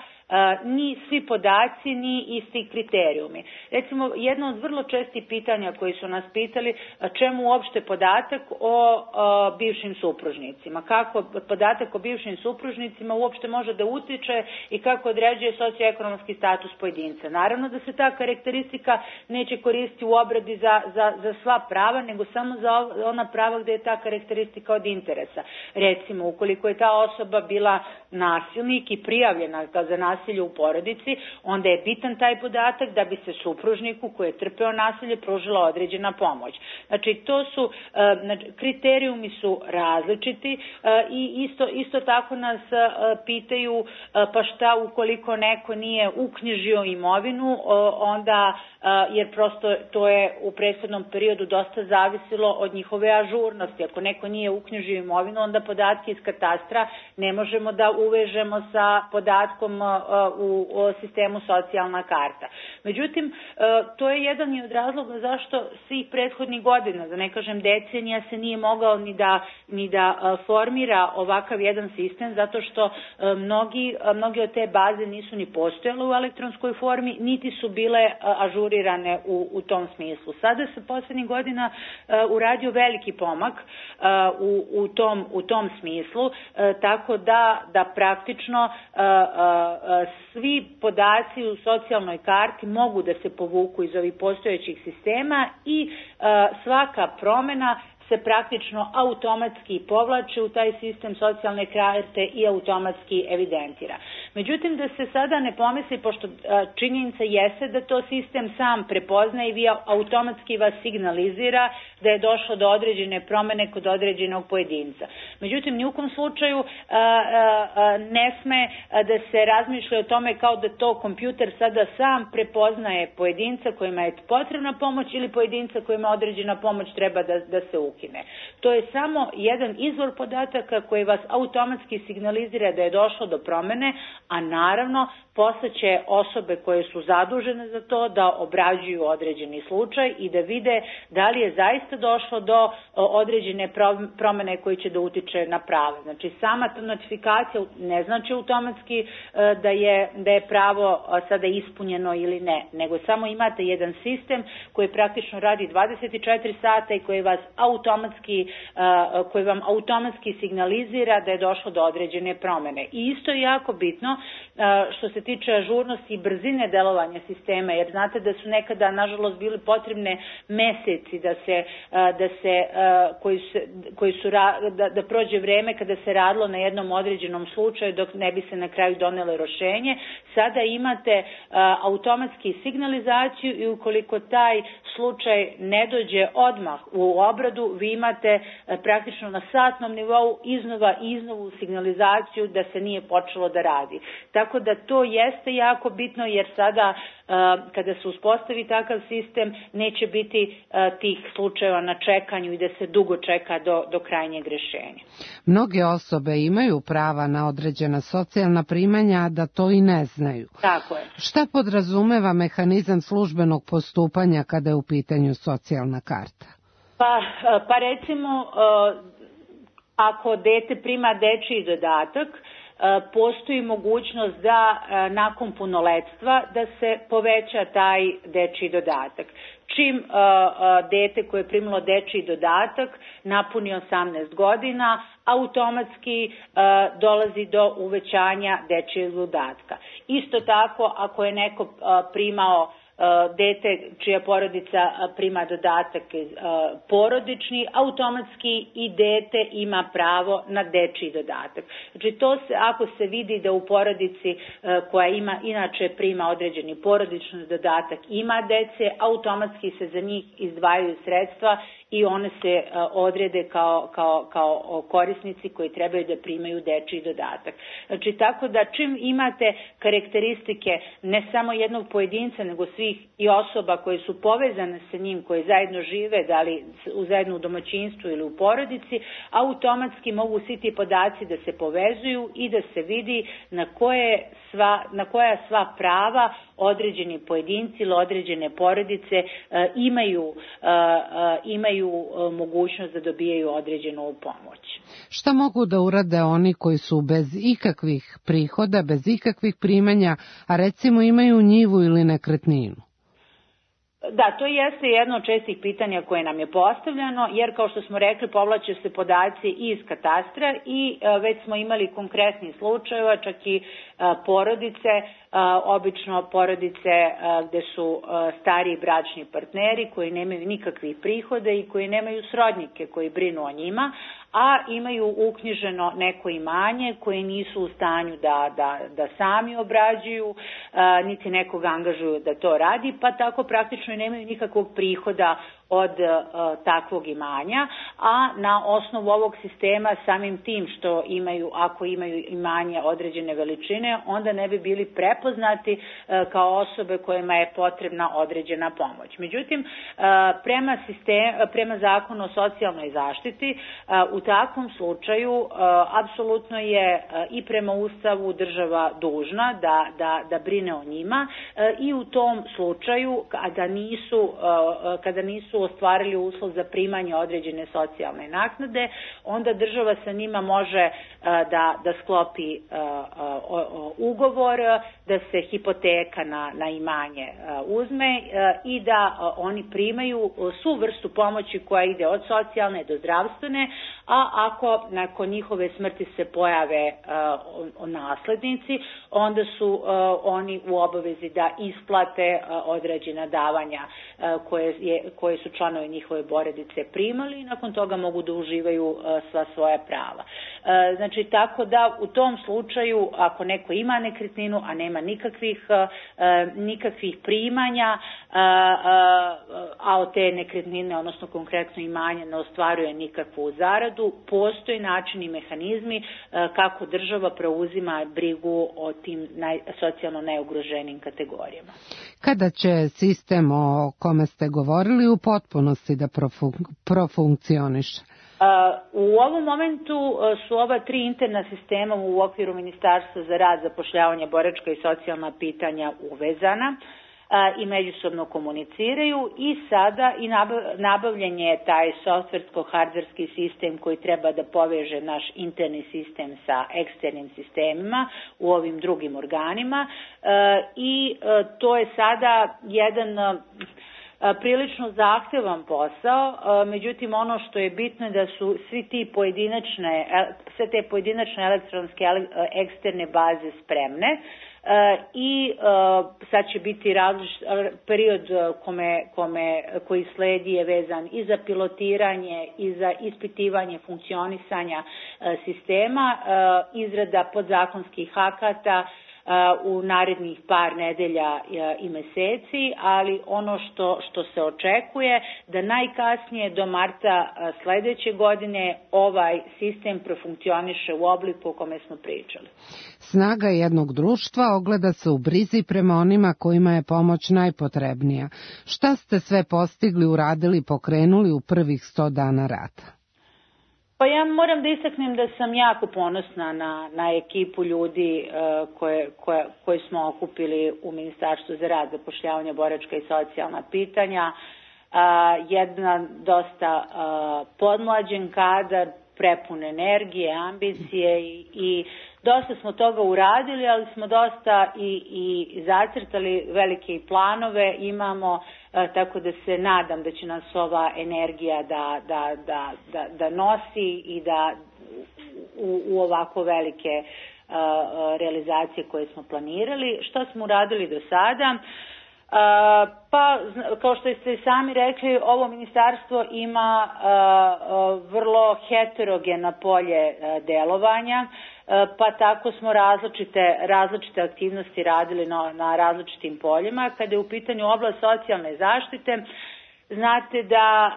ni svi podaci, ni isti kriterijumi. Recimo, jedno od vrlo čestih pitanja koji su nas pitali, čemu uopšte podatak o, o bivšim supružnicima, kako podatak o bivšim supružnicima uopšte može da utiče i kako određuje socioekonomski status pojedinca. Naravno da se ta karakteristika neće koristiti u obradi za, za, za sva prava, nego samo za ona prava gde je ta karakteristika od interesa. Recimo, ukoliko je ta osoba bila nasilnik i prijavljena za nasilje u porodici, onda je bitan taj podatak da bi se supružniku koji je trpeo nasilje pružila određena pomoć. Znači, to su, znači, kriterijumi su različiti i isto, isto tako nas pitaju pa šta ukoliko neko nije uknjižio imovinu, onda jer prosto to je u prethodnom periodu dosta zavisilo od njihove ažurnosti. Ako neko nije uknjižio imovinu, onda podatke iz katastra ne možemo da uvežemo sa podatkom u sistemu socijalna karta. Međutim, to je jedan i od razloga zašto svih prethodnih godina, da ne kažem decenija, se nije mogao ni da, ni da formira ovakav jedan sistem, zato što mnogi, mnogi od te baze nisu ni postojale u elektronskoj formi, niti su bile ažurirane u, u tom smislu. Sada se poslednjih godina uradio veliki pomak u, u, tom, u tom smislu, tako da, da praktično svi podaci u socijalnoj karti mogu da se povuku iz ovih postojećih sistema i svaka promena se praktično automatski povlači u taj sistem socijalne karte i automatski evidentira. Međutim, da se sada ne pomisli, pošto činjenica jeste da to sistem sam prepoznaje i vi automatski vas signalizira da je došlo do određene promene kod određenog pojedinca. Međutim, ni u kom slučaju ne sme da se razmišlja o tome kao da to kompjuter sada sam prepoznaje pojedinca kojima je potrebna pomoć ili pojedinca kojima određena pomoć treba da, da se ukine. To je samo jedan izvor podataka koji vas automatski signalizira da je došlo do promene, a naravno posle će osobe koje su zadužene za to da obrađuju određeni slučaj i da vide da li je zaista došlo do određene promene koje će da utiče na pravo. Znači, sama ta notifikacija ne znači automatski da je, da je pravo sada ispunjeno ili ne, nego samo imate jedan sistem koji praktično radi dvadeset četiri sata i koji vas automatski, koji vam automatski signalizira da je došlo do određene promene. I isto je jako bitno što se tiče ažurnosti i brzine delovanja sistema, jer znate da su nekada, nažalost, bili potrebne meseci da se, da se, koji su, koji su da, da prođe vreme kada se radilo na jednom određenom slučaju dok ne bi se na kraju donelo rešenje. Sada imate automatski signalizaciju i ukoliko taj slučaj ne dođe odmah u obradu, vi imate praktično na satnom nivou iznova i iznovu signalizaciju da se nije počelo da radi. Tako da to jeste jako bitno, jer sada kada se uspostavi takav sistem, neće biti tih slučajeva na čekanju i da se dugo čeka do, do krajnjeg rešenja. Mnoge osobe imaju prava na određena socijalna primanja, a da to i ne znaju. Tako je. Šta podrazumeva mehanizam službenog postupanja kada je u pitanju socijalna karta? Pa, pa recimo, ako dete prima dečiji dodatak, postoji mogućnost da nakon punoletstva da se poveća taj dečiji dodatak. Čim dete koje je primilo dečiji dodatak napuni osamnaest godina, automatski dolazi do uvećanja dečijeg dodatka. Isto tako, ako je neko primao dete čija porodica prima dodatak porodični, automatski i dete ima pravo na dečiji dodatak. Znači to se, ako se vidi da u porodici koja ima inače prima određeni porodični dodatak ima dece, automatski se za njih izdvajaju sredstva i one se odrede kao, kao, kao korisnici koji trebaju da primaju dečiji dodatak. Znači tako da čim imate karakteristike ne samo jednog pojedinca nego svih i osoba koje su povezane sa njim, koje zajedno žive, da li u zajedno u domaćinstvu ili u porodici, automatski mogu svi ti podaci da se povezuju i da se vidi na koje sva, na koja sva prava određeni pojedinci ili određene porodice e, imaju, e, e, imaju e, mogućnost da dobijaju određenu pomoć. Šta mogu da urade oni koji su bez ikakvih prihoda, bez ikakvih primanja, a recimo imaju njivu ili nekretninu? Da, to jeste jedno od čestih pitanja koje nam je postavljeno, jer kao što smo rekli, povlače se podaci iz katastra i e, već smo imali konkretni slučajeva, čak i e, porodice, e, obično porodice e, gde su e, stariji bračni partneri koji nemaju nikakvih prihoda i koji nemaju srodnike koji brinu o njima, a imaju uknjiženo neko imanje koje nisu u stanju da, da, da sami obrađuju, a, niti nekog angažuju da to radi, pa tako praktično i nemaju nikakvog prihoda od a, takvog imanja, a na osnovu ovog sistema samim tim što imaju, ako imaju imanje određene veličine, onda ne bi bili prepoznati a, kao osobe kojima je potrebna određena pomoć. Međutim, a, prema, sistem, prema zakonu o socijalnoj zaštiti, a, u takvom slučaju uh, apsolutno je uh, i prema Ustavu država dužna da, da, da brine o njima uh, i u tom slučaju kada nisu, uh, kada nisu ostvarili uslov za primanje određene socijalne naknade, onda država sa njima može uh, da, da sklopi uh, uh, ugovor, da se hipoteka na, na imanje uh, uzme uh, i da uh, oni primaju uh, svu vrstu pomoći koja ide od socijalne do zdravstvene, a ako nakon njihove smrti se pojave uh, naslednici, onda su uh, oni u obavezi da isplate uh, određena davanja uh, koje, je, koje su članovi njihove porodice primali i nakon toga mogu da uživaju uh, sva svoja prava. Uh, znači, tako da u tom slučaju, ako neko ima nekretninu, a nema nikakvih, uh, nikakvih primanja, uh, uh, a od te nekretnine, odnosno konkretno imanja, ne ostvaruje nikakvu zaradu, postoji načini i mehanizmi kako država preuzima brigu o tim naj, socijalno najugroženijim kategorijama. Kada će sistem o kome ste govorili u potpunosti da profun, profunkcioniše? U ovom momentu su ova tri interna sistema u okviru Ministarstva za rad, zapošljavanje, boračka i socijalna pitanja uvezana i međusobno komuniciraju i sada i nabavljen je taj softversko-hardverski sistem koji treba da poveže naš interni sistem sa eksternim sistemima u ovim drugim organima i to je sada jedan prilično zahtevan posao, međutim ono što je bitno je da su svi ti pojedinačne, sve te pojedinačne elektronske eksterne baze spremne i sad će biti različit period kome, kome, koji sledi je vezan i za pilotiranje i za ispitivanje funkcionisanja sistema, izrada podzakonskih akata, u narednih par nedelja i meseci, ali ono što, što se očekuje da najkasnije do marta sledeće godine ovaj sistem profunkcioniše u obliku o kome smo pričali. Snaga jednog društva ogleda se u brizi prema onima kojima je pomoć najpotrebnija. Šta ste sve postigli, uradili, pokrenuli u prvih sto dana rata? Pa ja moram da istaknem da sam jako ponosna na, na ekipu ljudi uh, koje, koje, koje smo okupili u Ministarstvu za rad, zapošljavanje, boračka i socijalna pitanja. Uh, jedna dosta uh, podmlađen kadar, prepun energije, ambicije i, i dosta smo toga uradili, ali smo dosta i, i zacrtali velike planove, imamo, e, tako da se nadam da će nas ova energija da, da, da, da, da nosi i da u, u ovako velike e, realizacije koje smo planirali. Što smo uradili do sada? Uh, pa, kao što ste sami rekli, ovo ministarstvo ima uh, uh, vrlo heterogeno polje uh, delovanja, uh, pa tako smo različite, različite aktivnosti radili na, na različitim poljima. Kada je u pitanju oblast socijalne zaštite, znate da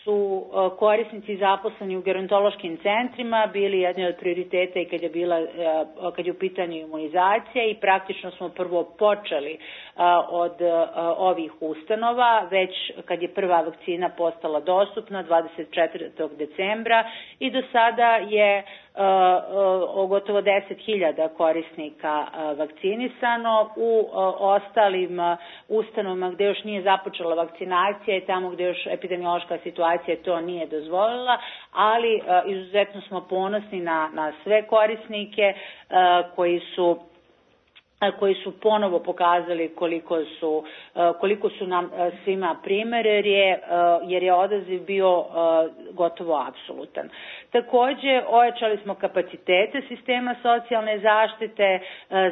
su korisnici zaposleni u gerontološkim centrima bili jedni od prioriteta i kad je, bila, kad je u pitanju imunizacija i praktično smo prvo počeli od ovih ustanova, već kad je prva vakcina postala dostupna dvadeset četvrtog decembra i do sada je o gotovo deset hiljada korisnika vakcinisano. U ostalim ustanovama gde još nije započela vakcinacija i tamo gde još epidemiološka situacija to nije dozvolila, ali izuzetno smo ponosni na, na sve korisnike koji su koji su ponovo pokazali koliko su, koliko su nam svima primer, jer je, jer je odaziv bio gotovo apsolutan. Takođe, ojačali smo kapacitete sistema socijalne zaštite,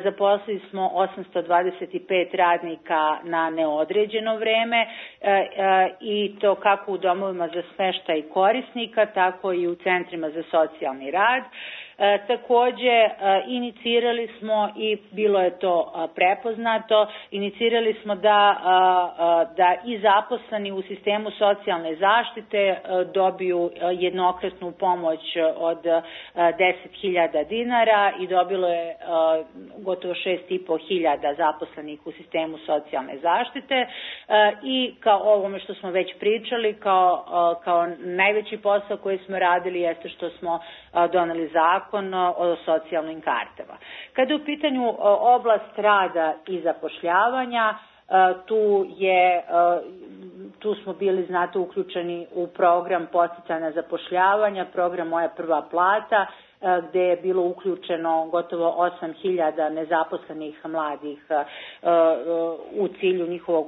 zaposlili smo osamsto dvadeset pet radnika na neodređeno vreme i to kako u domovima za smeštaj korisnika, tako i u centrima za socijalni rad. E, takođe, e, inicirali smo i bilo je to a, prepoznato, inicirali smo da, a, da i zaposleni u sistemu socijalne zaštite a, dobiju a, jednokratnu pomoć od deset hiljada dinara i dobilo je a, gotovo šest i po hiljada zaposlenih u sistemu socijalne zaštite a, i kao ovome što smo već pričali, kao, a, kao najveći posao koji smo radili jeste što smo a, doneli zakon o socijalnim kartama. Kada je u pitanju oblast rada i zapošljavanja, tu je tu smo bili, znate, uključeni u program podsticanja zapošljavanja, program Moja prva plata, gde je bilo uključeno gotovo osam hiljada nezaposlenih mladih u cilju njihovog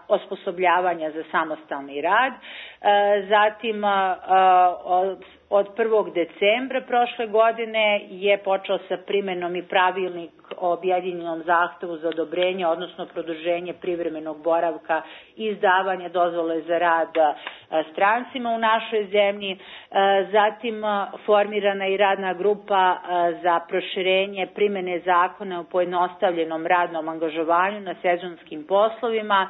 osposobljavanja za samostalni rad. Zatim, od prvog decembra prošle godine je počeo sa primenom i pravilnik o objedinjenom zahtevu za odobrenje, odnosno produženje privremenog boravka i izdavanje dozvole za rad strancima u našoj zemlji. Zatim formirana i radna grupa za proširenje primene zakona o pojednostavljenom radnom angažovanju na sezonskim poslovima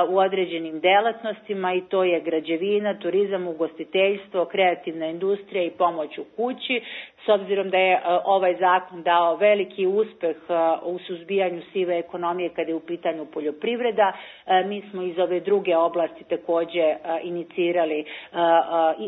u određenim delatnostima i to je građevina, turizam, ugostiteljstvo, kreativna industrija i pomoć u kući. S obzirom da je ovaj zakon dao veliki uspeh u suzbijanju sive ekonomije kada je u pitanju poljoprivreda, mi smo iz ove druge oblasti takođe inicirali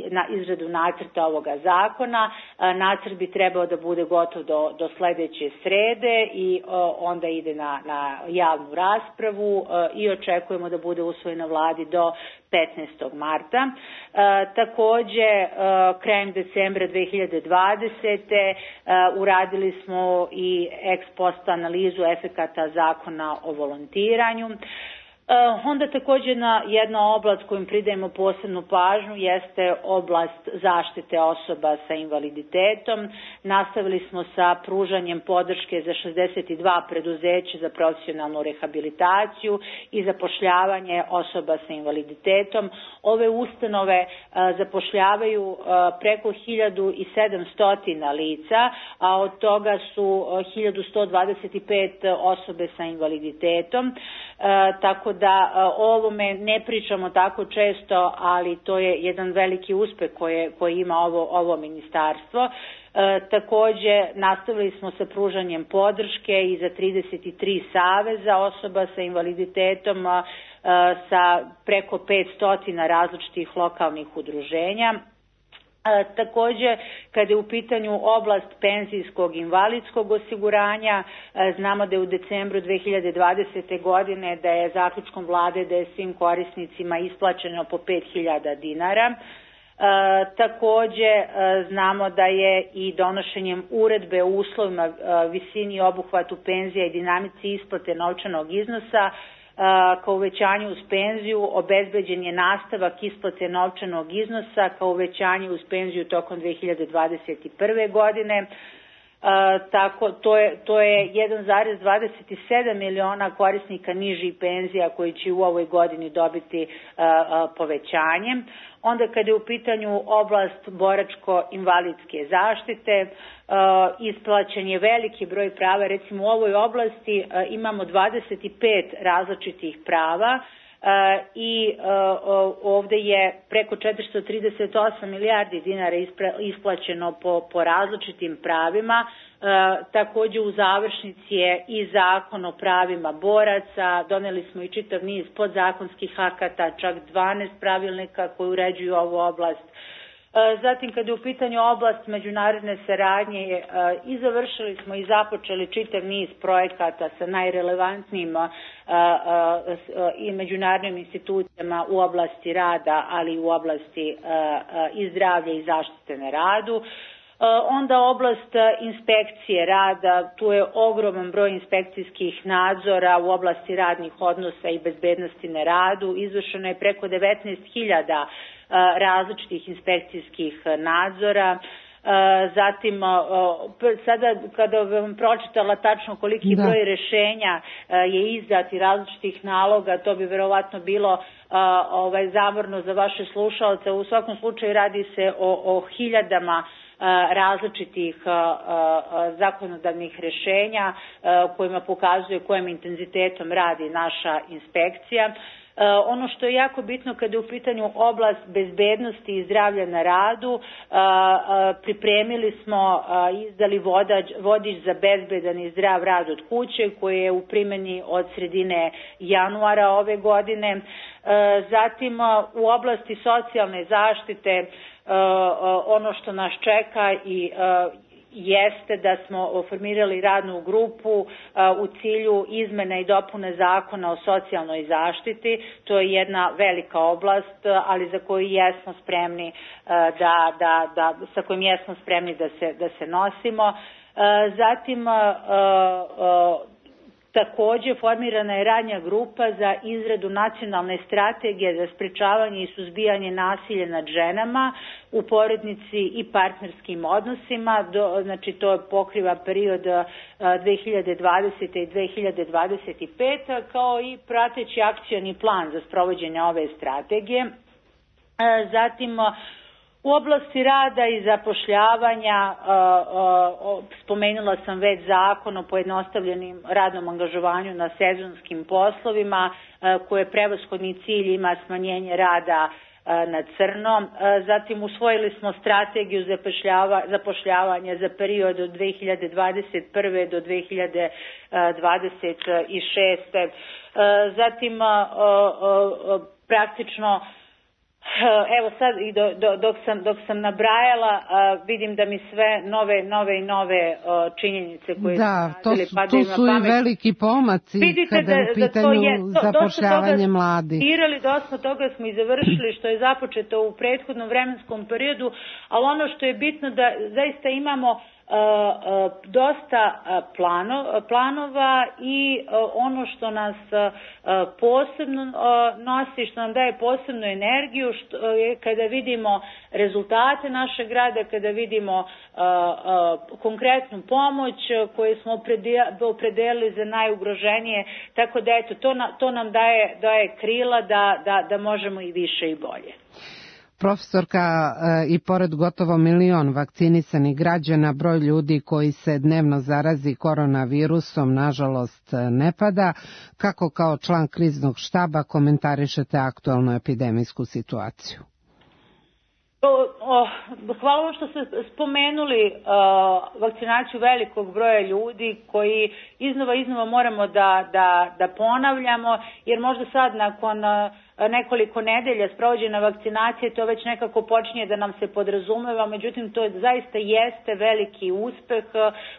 na izradu nacrta ovoga zakona. Nacrt bi trebao da bude gotov do, do sledeće srede i onda ide na, na javnu raspravu i očekujemo da bude usvojen na vladi do petnaestog marta. E, takođe, e, krajem decembra dve hiljade dvadesete. E, uradili smo i ex post analizu efekata zakona o volontiranju. Onda također na jedna oblast kojim pridajemo posebnu pažnju jeste oblast zaštite osoba sa invaliditetom. Nastavili smo sa pružanjem podrške za šezdeset dva preduzeća za profesionalnu rehabilitaciju i zapošljavanje osoba sa invaliditetom. Ove ustanove zapošljavaju preko hiljadu sedamsto lica, a od toga su hiljadu sto dvadeset pet osobe sa invaliditetom. Tako da o ovome ne pričamo tako često, ali to je jedan veliki uspeh koje, koje ima ovo, ovo ministarstvo. E, također nastavili smo sa pružanjem podrške i za trideset tri saveza osoba sa invaliditetom e, sa preko petsto različitih lokalnih udruženja. E, također, kada je u pitanju oblast penzijskog i invalidskog osiguranja, e, znamo da je u decembru dve hiljade dvadesete. godine da je zaključkom vlade da je svim korisnicima isplaćeno po pet hiljada dinara. E, također, e, znamo da je i donošenjem uredbe o uslovima, e, visini i obuhvatu penzija i dinamici isplate novčanog iznosa kao uvećanje uz penziju obezbeđen je nastavak isplate novčanog iznosa kao uvećanje uz penziju tokom dve hiljade dvadeset prve. godine. Uh, tako to je, to je jedan zarez dvadeset sedam miliona korisnika nižih penzija koji će u ovoj godini dobiti uh, uh, povećanje. Onda kada je u pitanju oblast boračko-invalidske zaštite, uh, isplaćen je veliki broj prava. Recimo u ovoj oblasti uh, imamo dvadeset pet različitih prava. Uh, i uh, ovdje je preko četiristo trideset osam milijardi dinara ispra, isplaćeno po, po različitim pravima. Uh, također u završnici je i zakon o pravima boraca, doneli smo i čitav niz podzakonskih akata, čak dvanaest pravilnika koji uređuju ovu oblast. Zatim, kada je u pitanju oblast međunarodne saradnje, i završili smo i započeli čitav niz projekata sa najrelevantnijim i međunarodnim institucijama u oblasti rada, ali i u oblasti i zdravlja i zaštite na radu. Onda oblast inspekcije rada, tu je ogroman broj inspekcijskih nadzora u oblasti radnih odnosa i bezbednosti na radu. Izvršeno je preko devetnaest hiljada različitih inspekcijskih nadzora. Zatim, sada kada vam pročitala tačno koliki da. broj rješenja je izdat i različitih naloga, to bi verovatno bilo ovaj, zamorno za vaše slušalce. U svakom slučaju radi se o, o hiljadama različitih zakonodavnih rješenja kojima pokazuje kojim intenzitetom radi naša inspekcija. Ono što je jako bitno kada je u pitanju oblast bezbednosti i zdravlja na radu, pripremili smo i izdali vodač, vodič za bezbedan i zdrav rad od kuće koji je u primjeni od sredine januara ove godine. Zatim u oblasti socijalne zaštite ono što nas čeka i jeste da smo formirali radnu grupu u cilju izmene i dopune zakona o socijalnoj zaštiti. To je jedna velika oblast, ali za koju jesmo spremni da, da, da, sa kojim jesmo spremni da se, da se nosimo. Zatim također formirana je radna grupa za izradu nacionalne strategije za sprečavanje i suzbijanje nasilja nad ženama u porodici i partnerskim odnosima. Do, znači to pokriva period dve hiljade dvadesete. i dve hiljade dvadeset pete. kao i prateći akcioni plan za sprovođenje ove strategije. Zatim u oblasti rada i zapošljavanja spomenula sam već zakon o pojednostavljenim radnom angažovanju na sezonskim poslovima koje prevashodni cilj ima smanjenje rada na crno. Zatim usvojili smo strategiju zapošljavanja za period od dve hiljade dvadeset prve. do dve hiljade dvadeset šeste. Zatim praktično evo sad i do, do, dok, sam, dok sam nabrajala uh, vidim da mi sve nove nove i nove uh, činjenice koje da, su radili pa to su i veliki pomaci. Vidite kada je u pitanju je, to, zapošljavanje mladih. Dosta toga smo i završili što je započeto u prethodnom vremenskom periodu, ali ono što je bitno da zaista imamo dosta plano, planova i ono što nas posebno nosi, što nam daje posebnu energiju, što je kada vidimo rezultate našeg rada, kada vidimo konkretnu pomoć koju smo opredelili za najugroženije, tako da eto, to, to nam daje, daje krila da, da, da možemo i više i bolje. Profesorka, i pored gotovo milion vakcinisanih građana, broj ljudi koji se dnevno zarazi koronavirusom nažalost ne pada. Kako kao član kriznog štaba komentarišete aktualnu epidemijsku situaciju? Hvala vam što ste spomenuli vakcinaciju velikog broja ljudi koji iznova iznova moramo da, da, da ponavljamo, jer možda sad nakon nekoliko nedelja sprovođena vakcinacije to već nekako počinje da nam se podrazumeva, međutim to zaista jeste veliki uspeh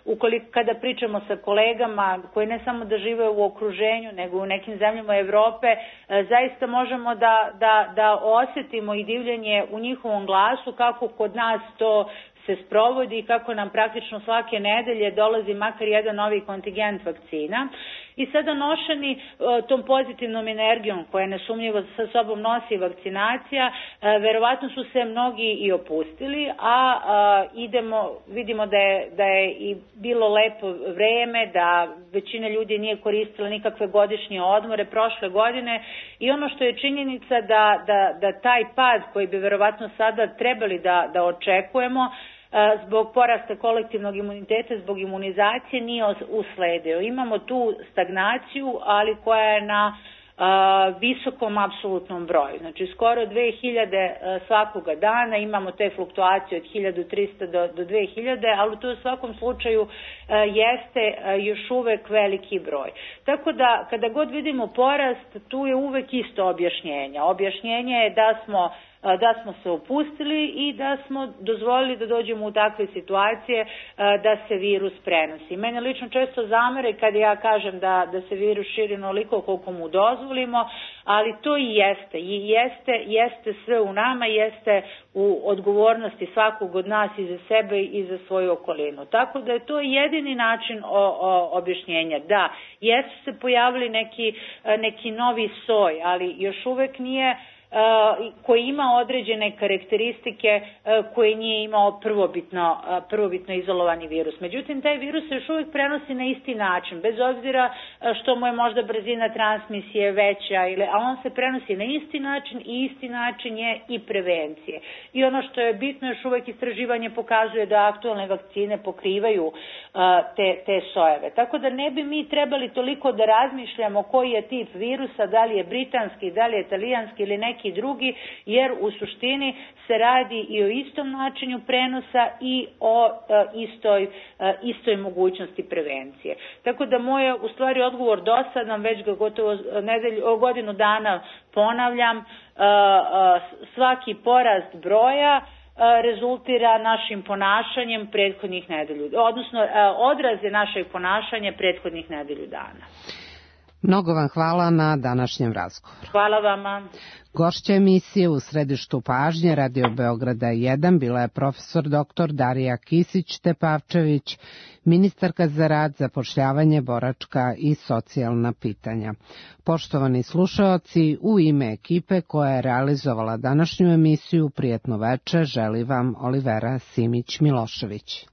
ukoliko kada pričamo sa kolegama koji ne samo da žive u okruženju nego u nekim zemljama Evrope, zaista možemo da, da, da osjetimo i divljenje u njihovom glasu kako kod nas to se sprovodi i kako nam praktično svake nedelje dolazi makar jedan novi kontingent vakcina. I sada nošeni tom pozitivnom energijom koja nesumnjivo sa sobom nosi vakcinacija, verovatno su se mnogi i opustili, a, a idemo, vidimo da je, da je i bilo lepo vreme, da većina ljudi nije koristila nikakve godišnje odmore prošle godine i ono što je činjenica da, da, da taj pad koji bi verovatno sada trebali da, da očekujemo zbog porasta kolektivnog imuniteta, zbog imunizacije nije usledio. Imamo tu stagnaciju, ali koja je na a, visokom apsolutnom broju. Znači skoro dve hiljade svakoga dana, imamo te fluktuacije od hiljadu trista do, do dve hiljade, ali to u svakom slučaju a, jeste a, još uvek veliki broj. Tako da kada god vidimo porast, tu je uvek isto objašnjenje. Objašnjenje je da smo da smo se opustili i da smo dozvolili da dođemo u takve situacije da se virus prenosi. Mene lično često zamere kada ja kažem da, da se virus širi onoliko koliko mu dozvolimo, ali to i jeste. I jeste, jeste sve u nama, jeste u odgovornosti svakog od nas i za sebe i za svoju okolinu. Tako da je to jedini način o, o, objašnjenja. Da, jesu se pojavili neki, neki novi soj, ali još uvek nije koji ima određene karakteristike koje nije imao prvobitno, prvobitno izolovani virus. Međutim, taj virus se još uvijek prenosi na isti način, bez obzira što mu je možda brzina transmisije veća, ili, a on se prenosi na isti način i isti način je i prevencije. I ono što je bitno, još uvijek istraživanje pokazuje da aktualne vakcine pokrivaju te, te sojeve. Tako da ne bi mi trebali toliko da razmišljamo koji je tip virusa, da li je britanski, da li je italijanski ili neki i drugi, jer u suštini se radi i o istom načinu prenosa i o e, istoj, e, istoj mogućnosti prevencije. Tako da moj u stvari odgovor dosadan, već ga gotovo nedelju, godinu dana ponavljam, e, e, svaki porast broja rezultira našim ponašanjem prethodnih nedelju, odnosno odraze našeg ponašanja prethodnih nedelju dana. Mnogo vam hvala na današnjem razgovoru. Hvala vama. Gošća emisije u središtu pažnje Radio Beograda jedan bila je profesor doktor Darija Kisić-Tepavčević, ministarka za rad, zapošljavanje, boračka i socijalna pitanja. Poštovani slušaoci, u ime ekipe koja je realizovala današnju emisiju, prijatno veče želi vam Olivera Simić-Milošević.